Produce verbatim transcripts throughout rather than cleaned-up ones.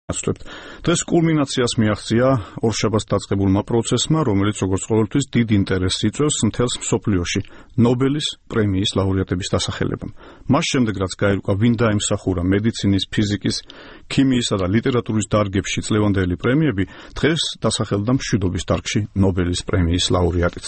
დღეს კულმინაციას მიაღწია ორშაბათს დაწყებულმა პროცესმა, რომელიც როგორც ყოველთვის დიდ ინტერესს იწვევს მთელს მსოფლიოში ნობელის პრემიის ლაურეატების დასახელებამ. მას შემდეგ, რაც გაირკვა ვინ დაემსახურა მედიცინის, ფიზიკის, ქიმიისა და ლიტერატურის დარგებში წლევანდელი პრემიები, დღეს დასახელდა მშვიდობის დარგში ნობელის პრემიის ლაურეატიც.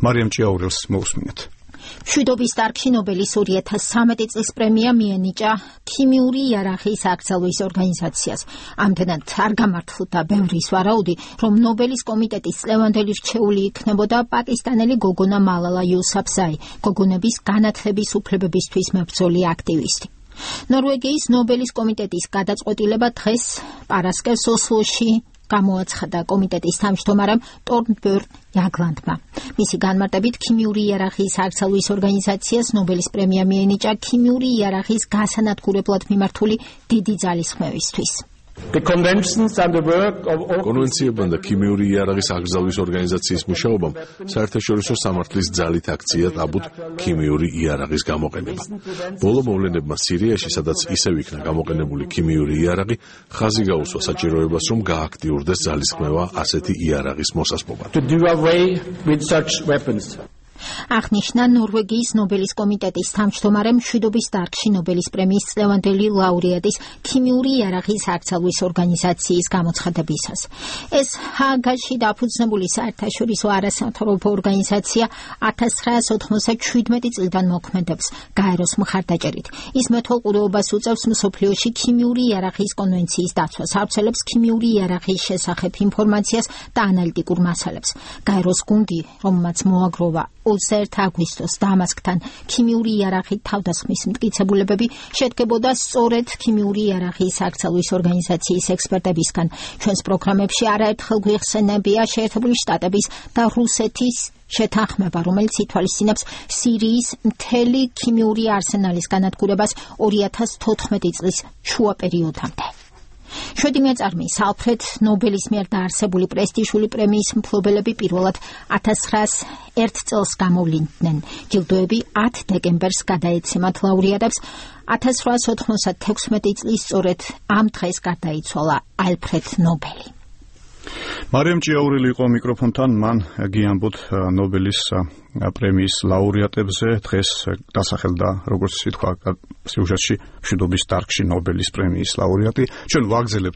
მარიამ ჭიაურელს მოусმინეთ. მშვიდობის დარგში ნობელის ორი ათას სამი წლის პრემია მიენიჭა ქიმიური იარაღიის აკრძალვის ორგანიზაციას. ამდენად არ გამართლდა ბევრის ვარაუდი, რომ ნობელის კომიტეტის წლევანდელი რჩეული იქნებოდა პაკისტანელი გოგონა მალალა იუსაფზაი, გოგონების განათლების უფლებებისთვის მებრძოლი აქტივისტი. ნორვეგიის ნობელის კომიტეტის გადაწყვეტილება დღეს პარასკევს ოსლოში გამოაცხადა კომიტეტის თავმჯდომარემ ტორნბერნ იაგლანდმა. მისი განმარტებით, ქიმიური იარაღიის აკრძალვის ორგანიზაციას ნობელის პრემია მიენიჭა ქიმიური იარაღის გასანადგურებლად მიმართული დიდი ძალისხმევისთვის. კონვენციებთან და ქიმიური იარაღის აკრძალვის ორგანიზაციის მუშაობამ საერთაშორისო სამართლის ძალით აქცია ტაბუთ ქიმიური იარაღის გამოყენება. ბოლო მოვლენებმა სირიაში, სადაც ისევ იქნა გამოყენებული ქიმიური იარაღი, ხაზი გაუსვა საჭიროებას, რომ გააქტიურდეს ძალისხმევა ასეთი იარაღის მოსასპობად. აღნიშნა ნორვეგიის ნობელის კომიტეტის თავმჯდომარე მშვიდობის დარგში ნობელის პრემიის წლევანდელი ლაურეატის ქიმიური იარაღის აკრძალვის ორგანიზაციის გამოცხადებისას. ეს ჰააგაში დაფუძნებული საერთაშორისო არასამთავრობო ორგანიზაცია ათას ცხრაას ოთხმოცდაშვიდმეტი წლიდან მოქმედებს გაეროს მხარდაჭერით. ის მეთვალყურეობას უწევს მსოფლიოში ქიმიური იარაღის კონვენციის დაცვას, ავრცელებს ქიმიური იარაღის შესახებ ინფორმაციას და ანალიტიკურ მასალებს. გაეროს გუნდი, რომელმაც მოაგროვა ოცდაერთი აგვისტოს დამასკთან ქიმიური იარაღით თავდასხმის მტკიცებულებები, შედგებოდა სწორედ ქიმიური იარაღის აკრძალვის ორგანიზაციის ექსპერტებისგან. ჩვენს პროგრამებში არაერთხელ გვიხსენებია შეერთებული შტატების და რუსეთის შეთანხმება, რომელიც ითვალისწინებს სირიის მთელი ქიმიური არსენალის განადგურებას ორი ათას თოთხმეტი წლის შუა პერიოდამდე. შვედი მეწარმის ალფრედ ნობელის მიერ დაარსებული პრესტიჟული პრემიის მფლობელები პირველად ათას ცხრაას ერთ წელს გამოვლინდნენ. ჯილდოები ათ დეკემბერს გადაეცემათ ლაურეატებს. ათას ცხრაას ოთხმოცდათექვსმეტი წლის სწორედ ამ დღეს გარდაიცვალა ალფრედ ნობელი. მარიამ ჭიაურელი იყო მიკროფონთან, მან გიამბოთ ნობელის პრემიის ლაურეატებზე. დღეს დასახელდა, როგორც თქვა სიუჟეტში, მშვიდობის დარგში ნობელის პრემიის ლაურეატი. ჩვენ ვაგზელებთ